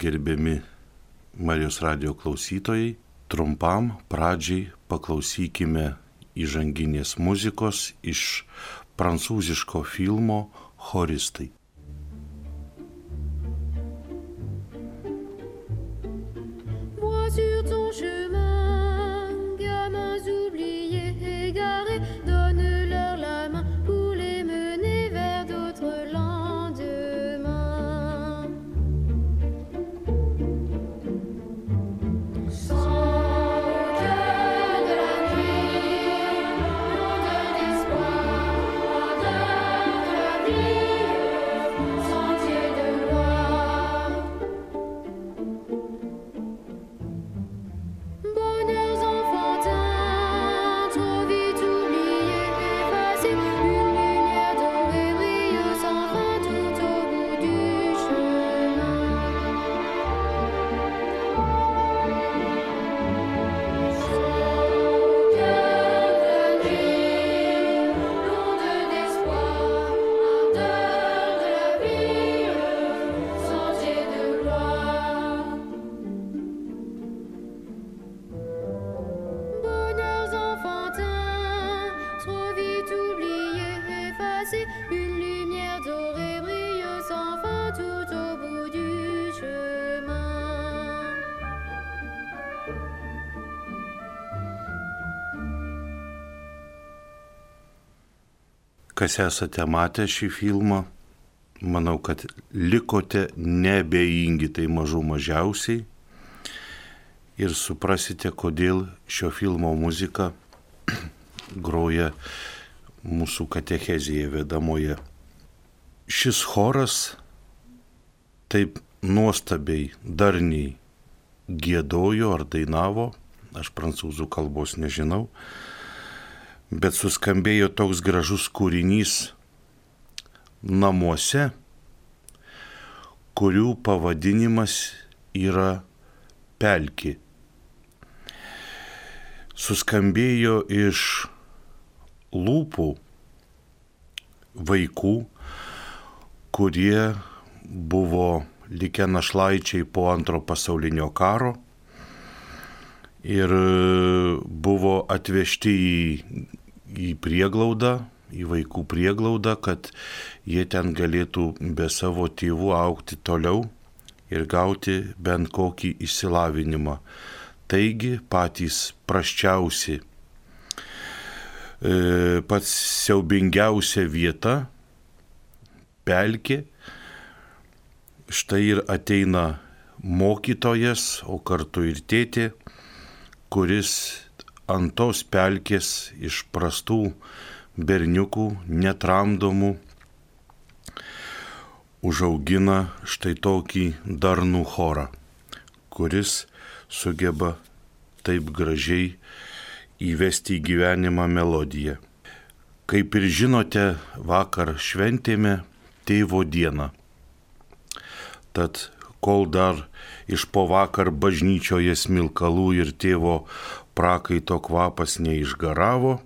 gerbiami Marijos radijo klausytojai. Trumpam pradžiai paklausykime įžanginės muzikos iš prancūziško filmo Choristai. Kas esate matę šį filmą, manau, kad likote neabejingi, tai mažų mažiausiai, ir suprasite, kodėl šio filmo muzika groja mūsų katechezėje vedamoje. Šis choras taip nuostabiai, darniai giedojo ar dainavo, aš prancūzų kalbos nežinau, bet suskambėjo toks gražus kūrinys namuose, kurių pavadinimas yra pelkė. Suskambėjo iš lūpų vaikų, kurie buvo likę našlaičiai po Antro pasaulinio karo ir buvo atvežti į prieglaudą, į vaikų prieglaudą, kad jie ten galėtų be savo tėvų augti toliau ir gauti bent kokį išsilavinimą. Taigi patys prasčiausi, pats siaubingiausia vieta, pelkė, štai ir ateina mokytojas, o kartu ir tėtė, kuris ant tos pelkės iš prastų berniukų, netramdomų, užaugina štai tokį darnų chorą, kuris sugeba taip gražiai įvesti į gyvenimą melodiją. Kaip ir žinote, vakar šventėme Tėvo dieną. Tad kol dar iš po vakar bažnyčioje smilkalų ir tėvo prakaito kvapas neišgaravo,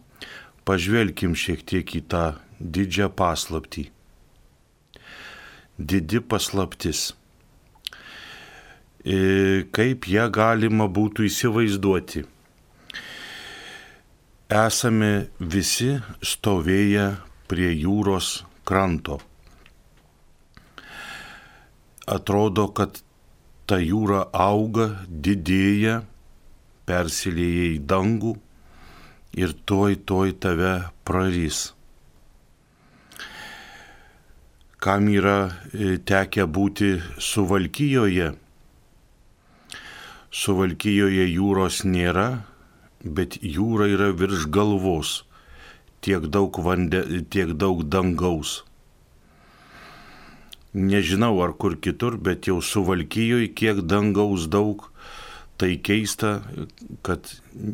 pažvelkim šiek tiek į tą didžią paslaptį. Didi paslaptis. Kaip ją galima būtų įsivaizduoti? Esame visi stovėję prie jūros kranto. Atrodo, kad ta jūra auga, didėja, persilieja į dangų ir tuoj tave prarys. Kam yra tekę būti Suvalkijoje? Suvalkijoje jūros nėra, bet jūra yra virš galvos, tiek daug dangaus. Nežinau ar kur kitur, bet jau Suvalkijoje kiek dangaus daug. Tai keista, kad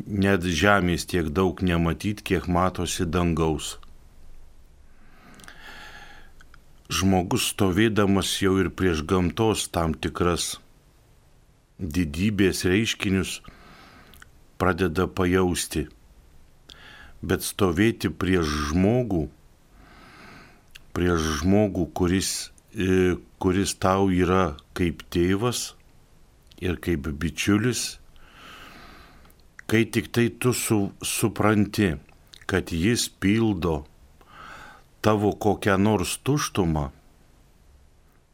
net žemės tiek daug nematyt, kiek matosi dangaus. Žmogus stovėdamas jau ir prieš gamtos tam tikras didybės reiškinius pradeda pajausti. Bet stovėti prieš žmogų, kuris tau yra kaip tėvas, ir kaip bičiulis, kai tik tai tu supranti, kad jis pildo tavo kokią nors tuštumą,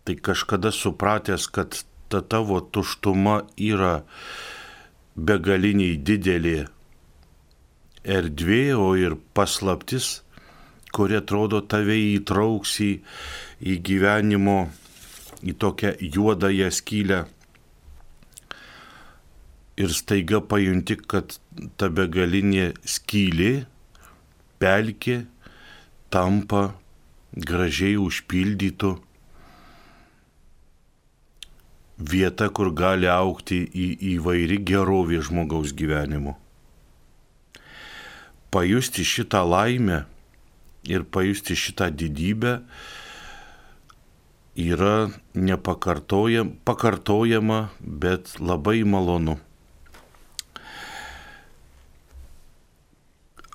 tai kažkada supratęs, kad ta tavo tuštuma yra begaliniai didelė erdvė, o ir paslaptis, kuri atrodo tave įtrauks į gyvenimo, į tokią juodąją skylę. Ir staiga pajunti, kad ta begalinė skylė, pelkė, tampa gražiai užpildytų vieta, kur gali augti įvairi gerovė žmogaus gyvenimo. Pajusti šitą laimę ir pajusti šitą didybę yra pakartojama, bet labai malonu.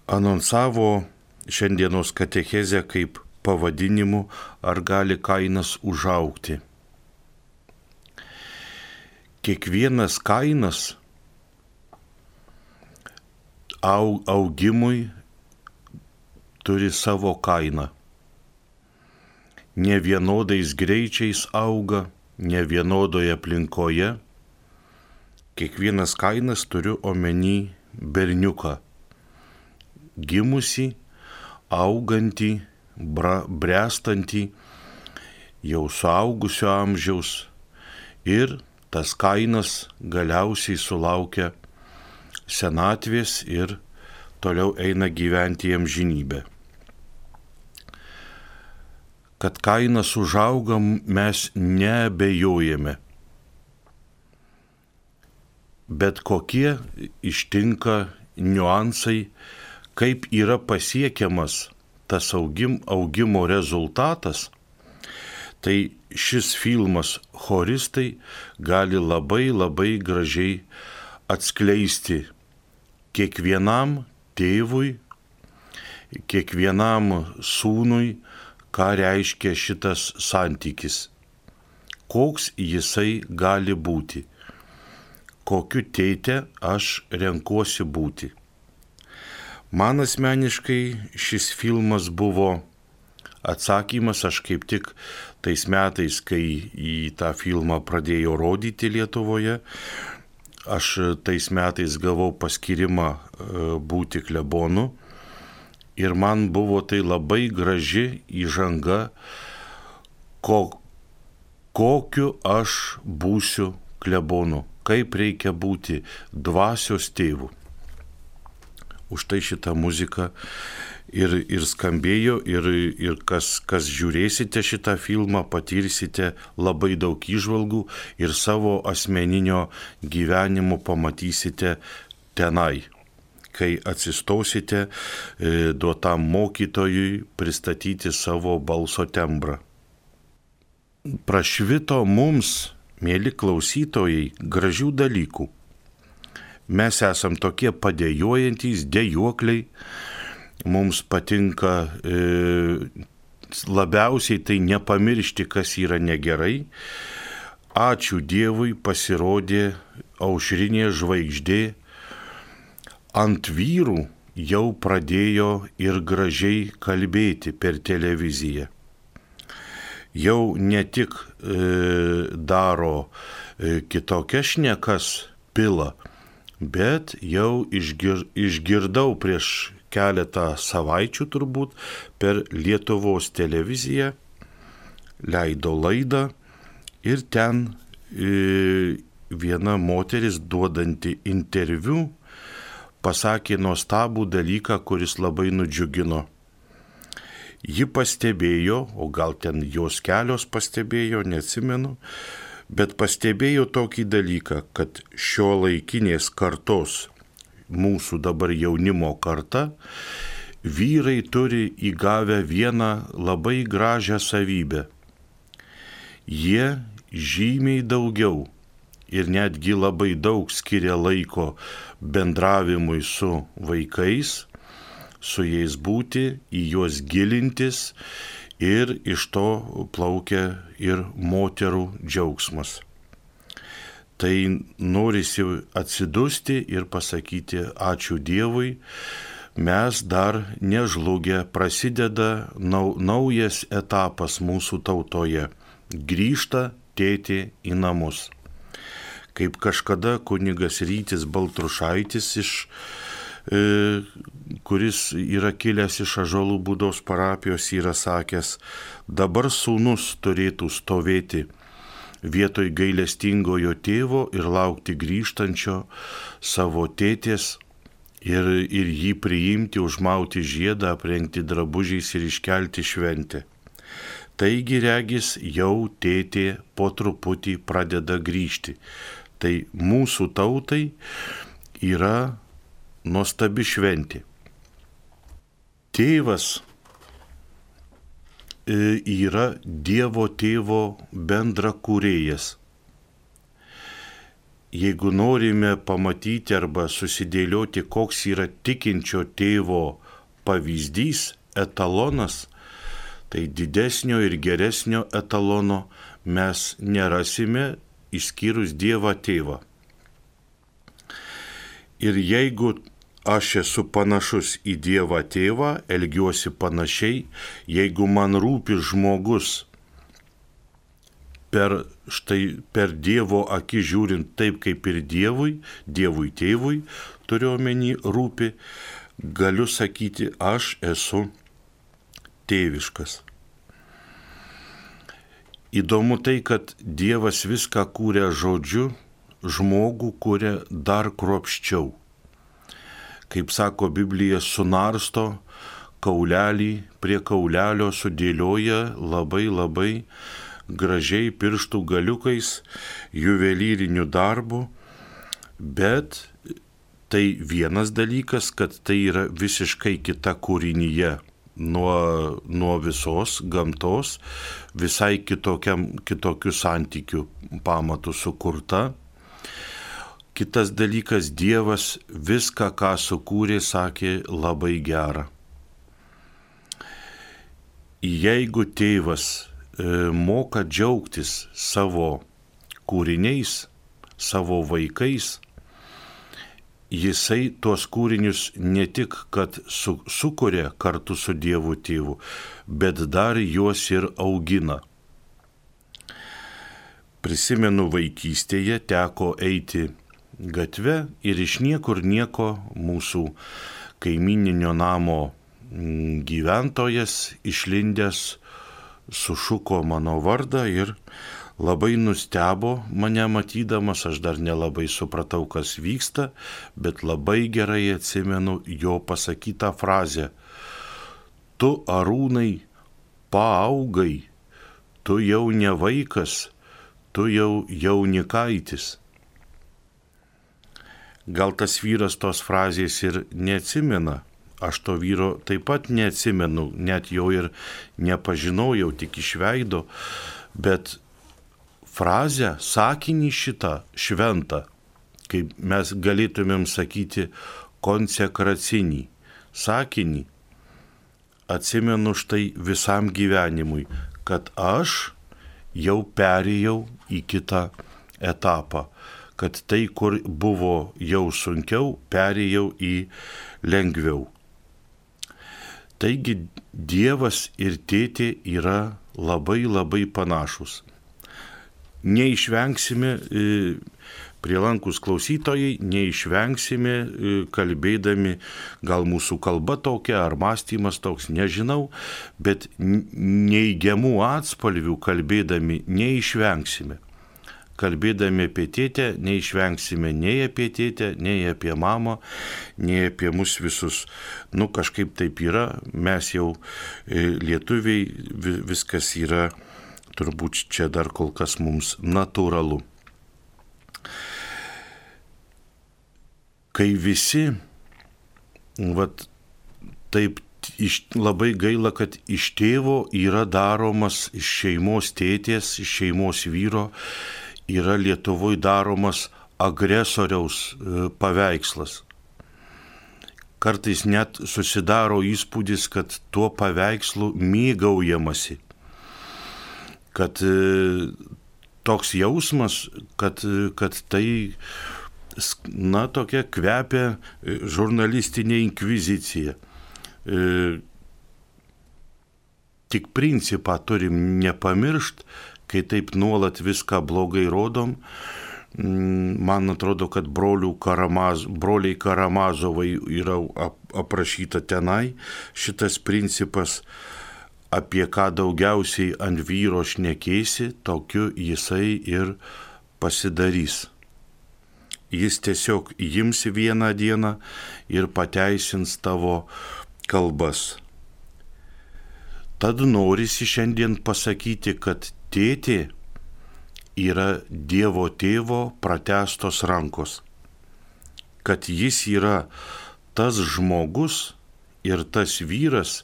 Anonsavo šiandienos katechezę kaip pavadinimu "Ar gali Kainas užaugti?". Kiekvienas Kainas augimui turi savo kainą. Ne vienodais greičiais auga, ne vienodoje aplinkoje. Kiekvienas Kainas, turiu omeny berniuką, gimusį, augantį, bręstantį, jau suaugusio amžiaus, ir tas Kainas galiausiai sulaukia senatvės ir toliau eina gyventi į amžinybę. Kad Kainas užauga, mes neabejojame. Bet kokie ištinka niuansai, kaip yra pasiekiamas tas augimo rezultatas, tai šis filmas Choristai gali labai labai gražiai atskleisti kiekvienam tėvui, kiekvienam sūnui, ką reiškia šitas santykis, koks jisai gali būti, kokiu tėte aš renkuosi būti. Man asmeniškai šis filmas buvo atsakymas, aš kaip tik tais metais, kai į tą filmą pradėjo rodyti Lietuvoje, aš tais metais gavau paskyrimą būti klebonu ir man buvo tai labai graži įžanga, kokiu aš būsiu klebonu, kaip reikia būti dvasios tėvu. Už tai šitą muziką ir skambėjo, ir kas žiūrėsite šitą filmą, patirsite labai daug įžvalgų ir savo asmeninio gyvenimo pamatysite tenai, kai atsistosite duotam mokytojui pristatyti savo balso tembrą. Prašvito mums, mėly klausytojai, gražių dalykų. Mes esam tokie padėjojantys, dejuokliai, mums patinka labiausiai tai nepamiršti, kas yra negerai. Ačiū Dievui, pasirodė aušrinė žvaigždė, ant vyrų jau pradėjo ir gražiai kalbėti per televiziją. Jau ne tik daro kitokias šnekas pila, bet jau išgirdau prieš keletą savaičių turbūt per Lietuvos televiziją, leido laidą ir ten viena moteris duodanti interviu pasakė nuostabų dalyką, kuris labai nudžiugino. Ji pastebėjo, o gal ten jos kelios pastebėjo, neatsimenu, bet pastebėjo tokį dalyką, kad šiuolaikinės kartos, mūsų dabar jaunimo karta, vyrai turi įgavę vieną labai gražią savybę. Jie žymiai daugiau ir netgi labai daug skiria laiko bendravimui su vaikais, su jais būti, į juos gilintis, ir iš to plaukia ir moterų džiaugsmas. tai norisi atsidusti ir pasakyti ačiū Dievui, mes dar nežlugę, prasideda naujas etapas mūsų tautoje. Grįžta tėtė į namus. Kaip kažkada kunigas Rytis Baltrušaitis, kuris yra kilęs iš Ąžuolų Būdos parapijos, yra sakęs, dabar sūnus turėtų stovėti vietoj gailestingojo tėvo ir laukti grįžtančio savo tėtės ir jį priimti, užmauti žiedą, aprengti drabužiais ir iškelti šventę. Taigi regis jau tėtė po truputį pradeda grįžti. Tai mūsų tautai yra nuostabi šventė. Tėvas yra Dievo tėvo bendrakūrėjas. Jeigu norime pamatyti arba susidėlioti, koks yra tikinčio tėvo pavyzdys, etalonas, tai didesnio ir geresnio etalono mes nerasime išskyrus Dievą tėvą. Ir jeigu aš esu panašus į Dievą tėvą, elgiuosi panašiai, jeigu man rūpi žmogus per Dievo akį žiūrint taip kaip ir Dievui tėvui, turiu omeny rūpi, galiu sakyti, aš esu tėviškas. Įdomu tai, kad Dievas viską kūrė žodžiu, žmogų kūrė dar kruopščiau. Kaip sako Biblija, sunarsto kaulelį prie kaulelio, sudėlioja labai gražiai pirštų galiukais, juvelyriniu darbu, bet tai vienas dalykas, kad tai yra visiškai kita kūrinyje nuo visos gamtos, visai kitokių santykių pamatų sukurta. Kitas dalykas, Dievas viską, ką sukūrė, sakė labai gera. Jeigu tėvas moka džiaugtis savo kūriniais, savo vaikais, jisai tuos kūrinius ne tik, kad sukuria kartu su Dievu tėvu, bet dar juos ir augina. Prisimenu, vaikystėje teko eiti gatve ir iš niekur nieko mūsų kaimininio namo gyventojas išlindęs sušuko mano vardą ir labai nustebo mane matydamas, aš dar nelabai supratau, kas vyksta, bet labai gerai atsimenu jo pasakytą frazę. Tu, Arūnai, paaugai, tu jau ne vaikas, tu jau jaunikaitis. Gal tas vyras tos frazės ir neatsimena, aš to vyro taip pat neatsimenu, net jo ir nepažinojau, tik iš veido, bet frazę, sakinį šitą šventą, kaip mes galėtumėm sakyti konsekracinį sakinį, atsimenu štai visam gyvenimui, kad aš jau perėjau į kitą etapą, kad tai, kur buvo jau sunkiau, perėjau į lengviau. Taigi Dievas ir tėtė yra labai panašus. Neišvengsime, prielankus klausytojai, neišvengsime kalbėdami, gal mūsų kalba tokia ar mąstymas toks, nežinau, bet neigiamų atspalvių kalbėdami neišvengsime. Kalbėdami apie tėtę neišvengsime nei apie tėtę, nei apie mamą, nei apie mus visus. Kažkaip taip yra, mes jau lietuviai, viskas yra turbūt čia dar kol kas mums natūralu. Kai visi, taip labai gaila, kad iš tėvo yra daromas, iš šeimos tėtės, iš šeimos vyro, yra Lietuvoje daromas agresoriaus paveikslas. Kartais net susidaro įspūdis, kad tuo paveikslu mėgaujamasi, kad toks jausmas, kad tai, tokia kvepia žurnalistinė inkvizicija. Tik principą turim nepamiršt, kai taip nuolat viską blogai rodom. Man atrodo, kad broliai Karamazovai yra aprašyta tenai šitas principas, apie ką daugiausiai ant vyro šnekėsi, tokiu jisai ir pasidarys. Jis tiesiog imsi vieną dieną ir pateisins tavo kalbas. Tad norisi šiandien pasakyti, kad tėtė yra Dievo tėvo pratęstos rankos, kad jis yra tas žmogus ir tas vyras,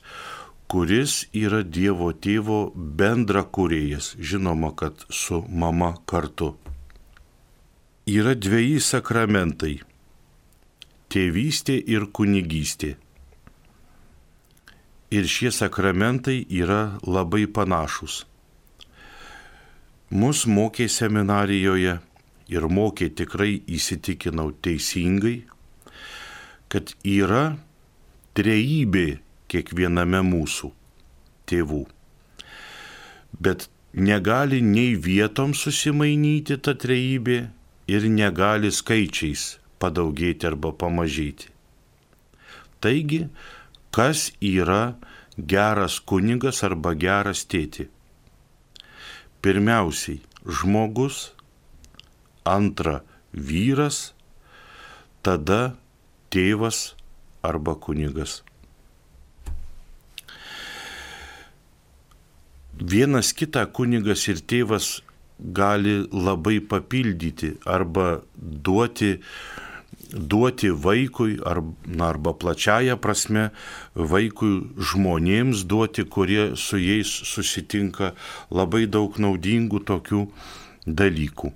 kuris yra Dievo tėvo bendrakūrėjas, žinoma, kad su mama kartu. Yra dveji sakramentai – tėvystė ir kunigystė. Ir šie sakramentai yra labai panašus. Mus mokė seminarijoje ir mokė tikrai įsitikinau teisingai, kad yra trejybė kiekviename mūsų tėvų. Bet negali nei vietom susimainyti ta trejybė ir negali skaičiais padaugėti arba pamažėti. Taigi, kas yra geras kunigas arba geras tėtė? Pirmiausiai žmogus, antra vyras, tada tėvas arba kunigas. Vienas kitą kunigas ir tėvas gali labai papildyti arba duoti vaikui arba plačiaja prasme vaikui žmonėms duoti, kurie su jais susitinka, labai daug naudingų tokių dalykų.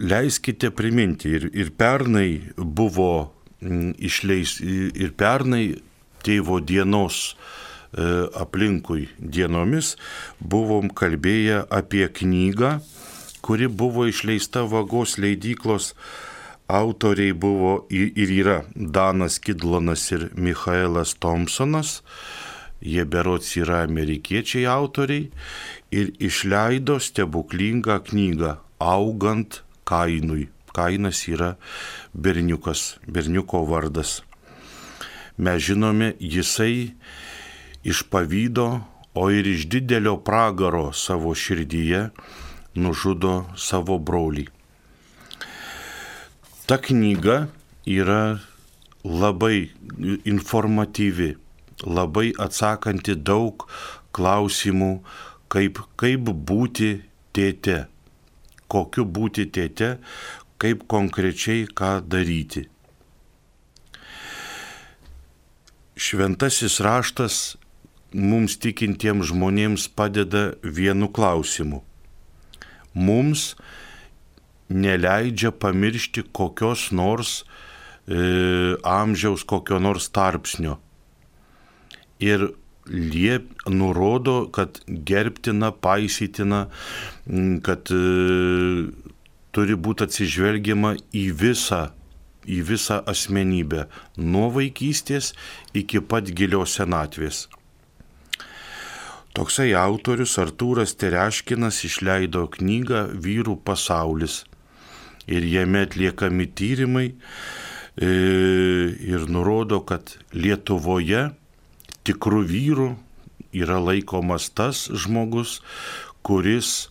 Leiskite priminti, ir pernai buvo ir pernai tėvo dienos aplinkui dienomis buvom kalbėję apie knygą, kuri buvo išleista Vagos leidyklos. Autoriai buvo ir yra Danas Kidlonas ir Michaelas Thompsonas. Jie berods yra amerikiečiai autoriai ir išleido stebuklingą knygą Augant Kainui. Kainas yra berniuko vardas. Mes žinome, jisai iš pavydo, o ir iš didelio pragaro savo širdyje nužudo savo brolį. Ta knyga yra labai informatyvi, labai atsakanti daug klausimų, kaip būti tėte, kokiu būti tėte, kaip konkrečiai ką daryti. Šventasis raštas mums tikintiems žmonėms padeda vienu klausimu. Mums neleidžia pamiršti kokios nors amžiaus, kokio nors tarpsnio. Ir nurodo, kad gerbtina, paisytina, kad turi būti atsižvelgiama į visą asmenybę, nuo vaikystės iki pat gilios senatvės. Toksai autorius Artūras Tereškinas išleido knygą Vyrų pasaulis ir jame atliekami tyrimai ir nurodo, kad Lietuvoje tikrų vyrų yra laikomas tas žmogus, kuris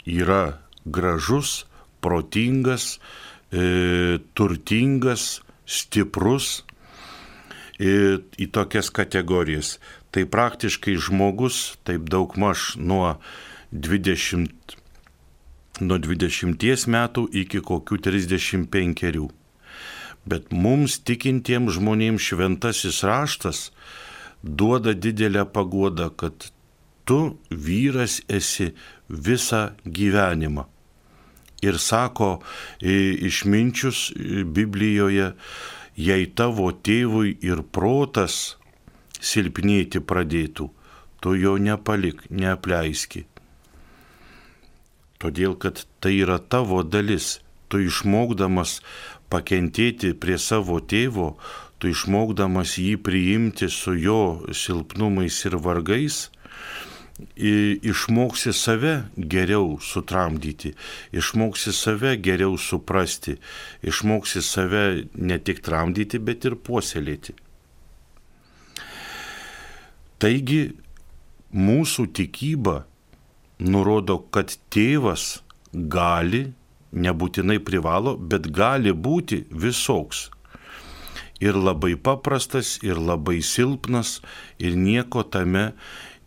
yra gražus, protingas, turtingas, stiprus į tokias kategorijas. Tai praktiškai žmogus, taip daugmaž nuo 20 metų iki kokių 35. Bet mums tikintiems žmonėms šventasis raštas duoda didelę paguodą, kad tu vyras esi visą gyvenimą. Ir sako išminčius Biblijoje, jei tavo tėvui ir protas silpnėti pradėtų, tu jo nepalik, neapleiski. Todėl, kad tai yra tavo dalis. Tu išmokdamas pakentėti prie savo tėvo, tu išmokdamas jį priimti su jo silpnumais ir vargais, išmoksi save geriau sutramdyti, išmoksi save geriau suprasti, išmoksi save ne tik tramdyti, bet ir puoselėti. Taigi mūsų tikyba nurodo, kad tėvas gali, nebūtinai privalo, bet gali būti visoks. Ir labai paprastas, ir labai silpnas, ir nieko tame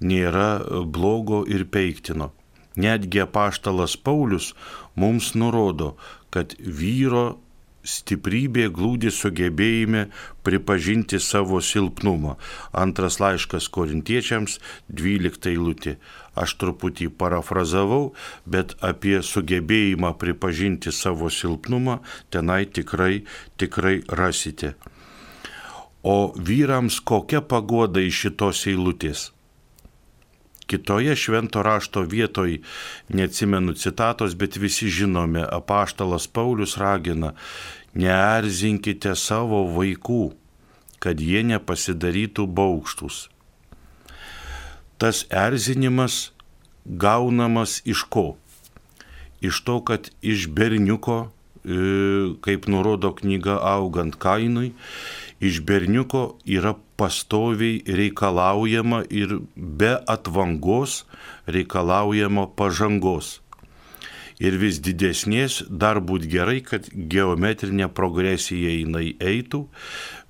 nėra blogo ir peiktino. Netgi apaštalas Paulius mums nurodo, kad vyro stiprybė glūdi sugebėjime pripažinti savo silpnumą. Antras laiškas Korintiečiams, 12 eilutė. Aš truputį parafrazavau, bet apie sugebėjimą pripažinti savo silpnumą tenai tikrai rasite. O vyrams kokia paguoda iš šitos eilutės? Kitoje švento rašto vietoj, neatsimenu citatos, bet visi žinome, apaštalas Paulius ragina, neerzinkite savo vaikų, kad jie nepasidarytų baugštūs. Tas erzinimas gaunamas iš ko? Iš to, kad iš berniuko, kaip nurodo knyga Augant Kainui, iš berniuko yra pastoviai reikalaujama ir be atvangos reikalaujama pažangos. Ir vis didesnės dar būt gerai, kad geometrinė progresija jinai eitų,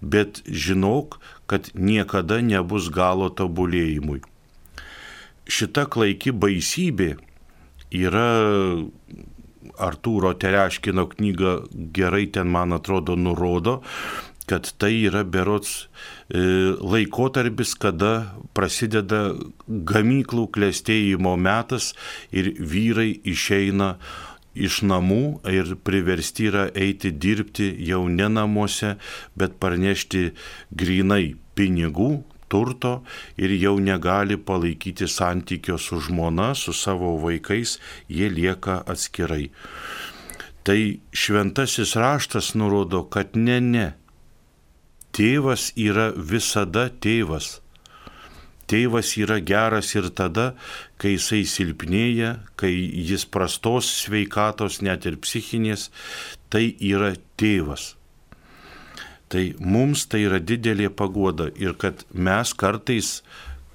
bet žinok, kad niekada nebus galo tobulėjimui. Šita klaiki baisybė yra Artūro Tereškino knyga gerai ten, man atrodo, nurodo, kad tai yra berods laikotarpis, kada prasideda gamyklų klestėjimo metas ir vyrai išeina iš namų ir priversti yra eiti dirbti jau ne namuose, bet parnešti grinai pinigų, turto ir jau negali palaikyti santykio su žmona, su savo vaikais, jie lieka atskirai. Tai šventasis raštas nurodo, kad ne. Tėvas yra visada tėvas. Tėvas yra geras ir tada, kai jisai silpnėja, kai jis prastos sveikatos, net ir psichinės, tai yra tėvas. Tai mums tai yra didelė paguoda ir kad mes kartais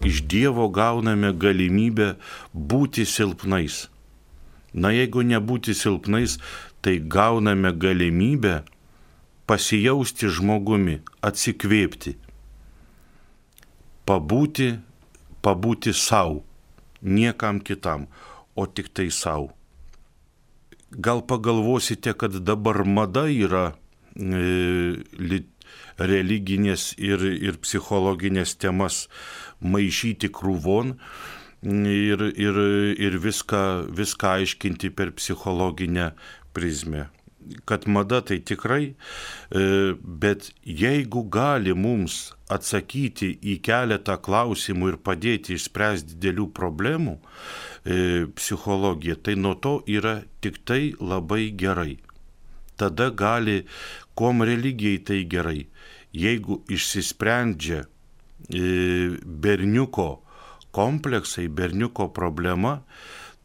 iš Dievo gauname galimybę būti silpnais. Na, jeigu nebūti silpnais, tai gauname galimybę pasijausti žmogumi, atsikvėpti, pabūti savo, niekam kitam, o tik tai savo. Gal pagalvosite, kad dabar mada yra religinės ir psichologinės temas maišyti krūvon ir viską aiškinti per psichologinę prizmę. Kad mada tai tikrai, bet jeigu gali mums atsakyti į keletą klausimų ir padėti išspręsti didelių problemų psichologija, tai nuo to yra tik tai labai gerai. Tada gali, kuom religijai tai gerai, jeigu išsisprendžia berniuko kompleksai, berniuko problema,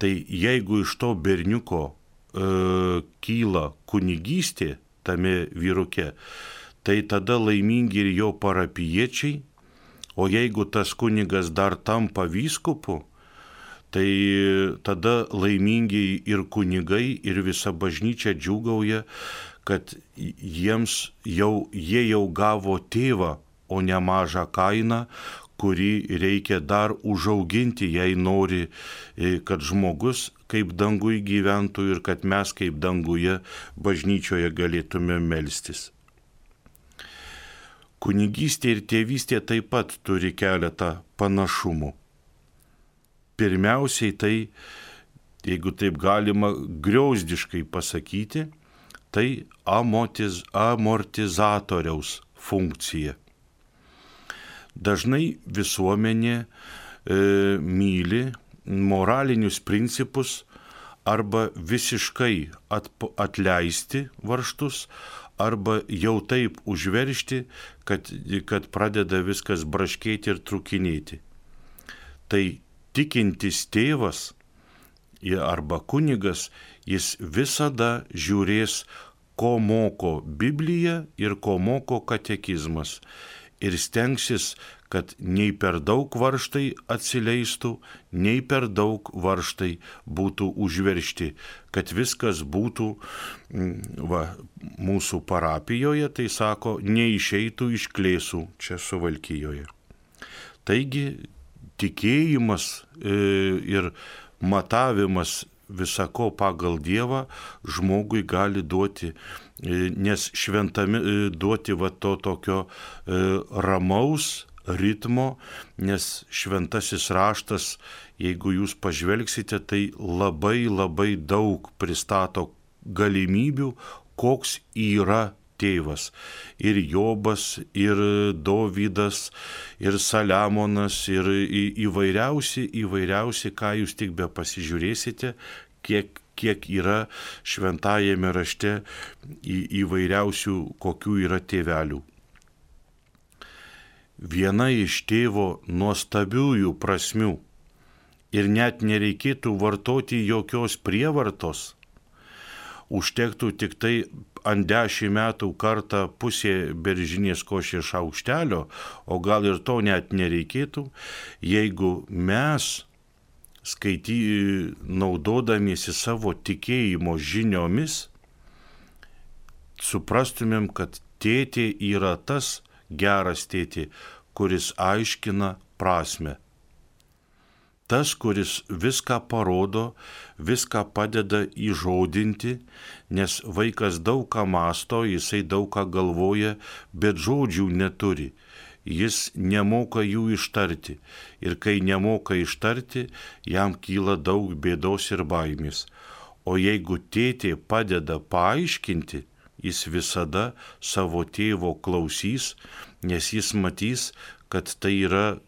tai jeigu iš to berniuko kyla kunigystė tame vyruke, tai tada laimingi ir jo parapijiečiai, o jeigu tas kunigas dar tampa vyskupu, tai tada laimingi ir kunigai, ir visa bažnyčia džiūgauja, kad jie jau gavo tėvą, o ne mažą kainą, kurį reikia dar užauginti, jei nori, kad žmogus kaip dangui gyventų ir kad mes kaip danguje bažnyčioje galėtume melstis. Kunigystė ir tėvystė taip pat turi keletą panašumų. Pirmiausiai tai, jeigu taip galima griauzdiškai pasakyti, tai amortizatoriaus funkcija. Dažnai visuomenė myli moralinius principus arba visiškai atleisti varžtus, arba jau taip užveržti, kad pradeda viskas braškėti ir trukinėti. Tai tikintis tėvas arba kunigas, jis visada žiūrės, ko moko Biblija ir ko moko katekizmas. Ir stengsis, kad nei per daug varžtai atsileistų, nei per daug varžtai būtų užveržti, kad viskas būtų, mūsų parapijoje, tai sako, neišeitų iš Klėsų čia Suvalkijoje. Taigi tikėjimas ir matavimas visako pagal Dievą žmogui gali duoti, nes šventami duoti to tokio ramaus ritmo, nes šventasis raštas, jeigu jūs pažvelgsite, tai labai labai daug pristato galimybių, koks yra tėvas. Ir Jobas, ir Dovydas, ir Saliamonas, ir įvairiausi, ką jūs tik be pasižiūrėsite, kiek yra šventajame rašte įvairiausių, kokių yra tėvelių. Viena iš tėvo nuostabiųjų prasmių, ir net nereikėtų vartoti jokios prievartos, užtektų tik tai ant 10 metų kartą pusė beržinės košės šaukštelio, o gal ir to net nereikėtų, jeigu mes naudodamiesi savo tikėjimo žiniomis, suprastumėm, kad tėtė yra tas geras tėtė, kuris aiškina prasmę. Tas, kuris viską parodo, viską padeda įžodinti, nes vaikas daug ką mąsto, jisai daug ką galvoja, bet žodžių neturi. Jis nemoka jų ištarti. Ir kai nemoka ištarti, jam kyla daug bėdos ir baimės. O jeigu tėtė padeda paaiškinti, jis visada savo tėvo klausys, nes jis matys, kad tai yra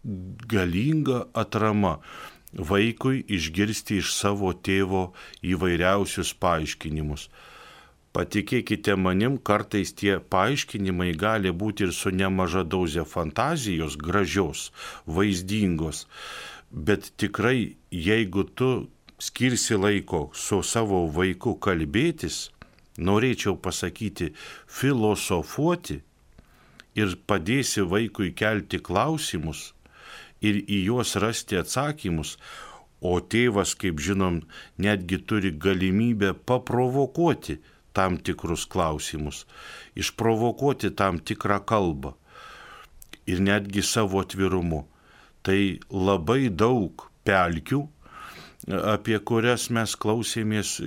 galinga atrama vaikui išgirsti iš savo tėvo įvairiausius paaiškinimus. Patikėkite manim, kartais tie paaiškinimai gali būti ir su nemaža doze fantazijos, gražios, vaizdingos, bet tikrai, jeigu tu skirsi laiko su savo vaiku kalbėtis, norėčiau pasakyti, filosofuoti ir padėsi vaikui kelti klausimus ir į juos rasti atsakymus, o tėvas, kaip žinom, netgi turi galimybę paprovokuoti tam tikrus klausimus, išprovokuoti tam tikrą kalbą ir netgi savo atvirumu. Tai labai daug pelkių, apie kurias mes klausėmės,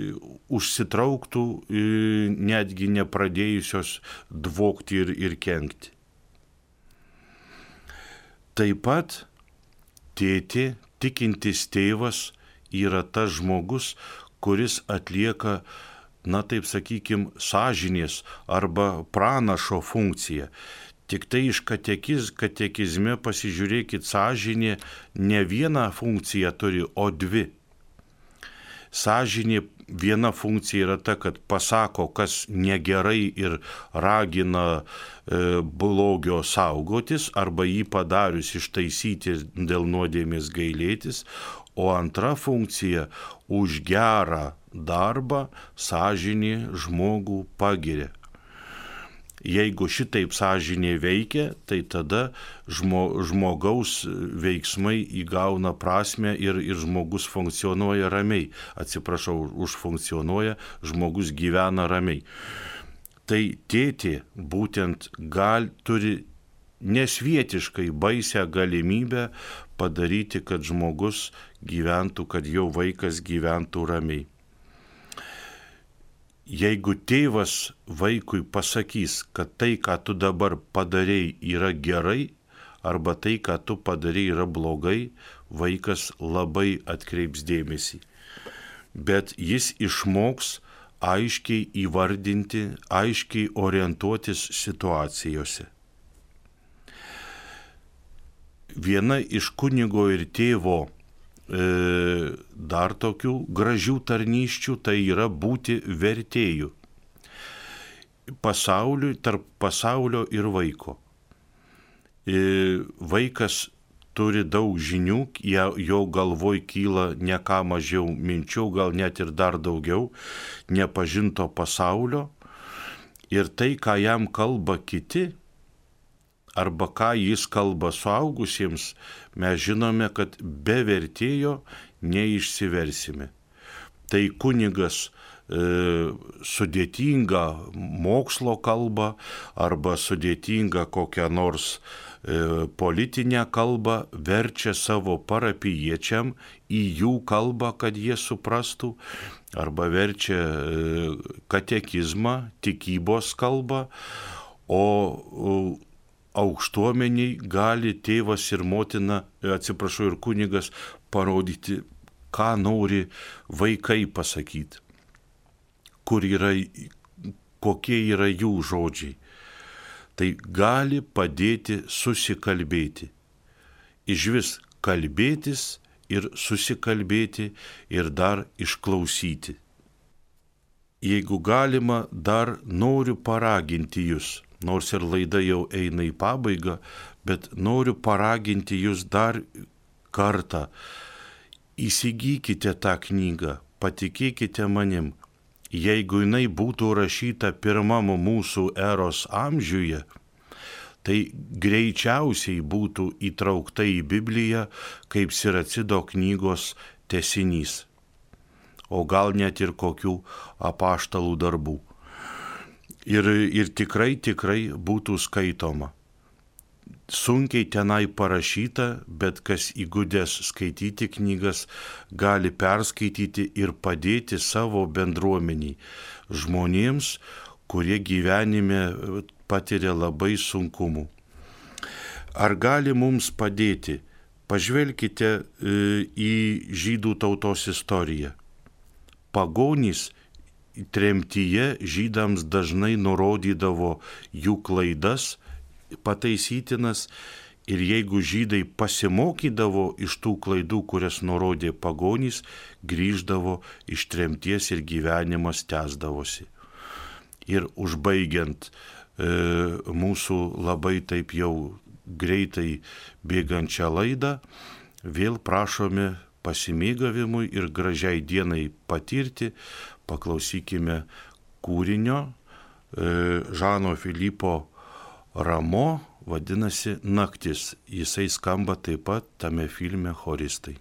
užsitrauktų, netgi nepradėjusios dvokti ir kenkti. Taip pat tėtė, tikintis tėvas, yra tas žmogus, kuris atlieka, taip sakykim, sąžinės arba pranašo funkciją. Tik tai iš katekizme pasižiūrėkit, sąžinė ne vieną funkciją turi, o 2. Sąžinė viena funkcija yra ta, kad pasako, kas negerai ir ragina blogio saugotis, arba jį padarius ištaisyti dėl nuodėmės gailėtis, o antra funkcija už gerą darbą sąžinė žmogų pagiria. Jeigu šitaip sąžinė veikia, tai tada žmogaus veiksmai įgauna prasmę ir žmogus funkcionuoja ramiai. Užfunkcionuoja, žmogus gyvena ramiai. Tai tėtė būtent turi nesvietiškai baisią galimybę padaryti, kad žmogus gyventų, kad jo vaikas gyventų ramiai. Jeigu tėvas vaikui pasakys, kad tai, ką tu dabar padarei, yra gerai, arba tai, ką tu padarei, yra blogai, vaikas labai atkreips dėmesį. Bet jis išmoks aiškiai įvardinti, aiškiai orientuotis situacijose. viena iš kunigo ir tėvo dar tokių gražių tarnysčių, tai yra būti vertėju tarp pasaulio ir vaiko. Vaikas turi daug žinių, jo galvoj kyla ne ką mažiau minčių, gal net ir dar daugiau nepažinto pasaulio. Ir tai, ką jam kalba kiti, arba ką jis kalba suaugusiems, mes žinome, kad be vertėjo neišsiversime. Tai kunigas sudėtingą mokslo kalbą arba sudėtingą kokią nors politinę kalbą verčia savo parapijiečiam į jų kalbą, kad jie suprastų, arba verčia katekizmą, tikybos kalbą, o aukštuomeniai gali tėvas ir motina, ir kunigas parodyti, ką nori vaikai pasakyti, kokie yra jų žodžiai. Tai gali padėti susikalbėti. Išvis kalbėtis ir susikalbėti ir dar išklausyti. Jeigu galima, dar noriu paraginti jūs, nors ir laida jau eina į pabaigą, bet noriu paraginti jūs dar kartą. Įsigykite tą knygą, patikėkite manim. Jeigu jinai būtų rašyta pirmam mūsų eros amžiuje, tai greičiausiai būtų įtraukta į Bibliją kaip Siracido knygos tęsinys, o gal net ir kokių apaštalų darbų. Ir tikrai būtų skaitoma. Sunkiai tenai parašyta, bet kas įgudęs skaityti knygas, gali perskaityti ir padėti savo bendruomeniai, žmonėms, kurie gyvenime patiria labai sunkumų. Ar gali mums padėti? Pažvelkite į žydų tautos istoriją. Pagonys tremtyje žydams dažnai nurodydavo jų klaidas, pataisytinas, ir jeigu žydai pasimokydavo iš tų klaidų, kurias nurodė pagonys, grįždavo iš tremties ir gyvenimas tęsdavosi. Ir užbaigiant mūsų labai taip jau greitai bėgančią laidą, vėl prašome pasimėgavimui ir gražiai dienai patirti, paklausykime kūrinio Žano Filipo Ramo, vadinasi Naktis. Jisai skamba taip pat tame filme Choristai.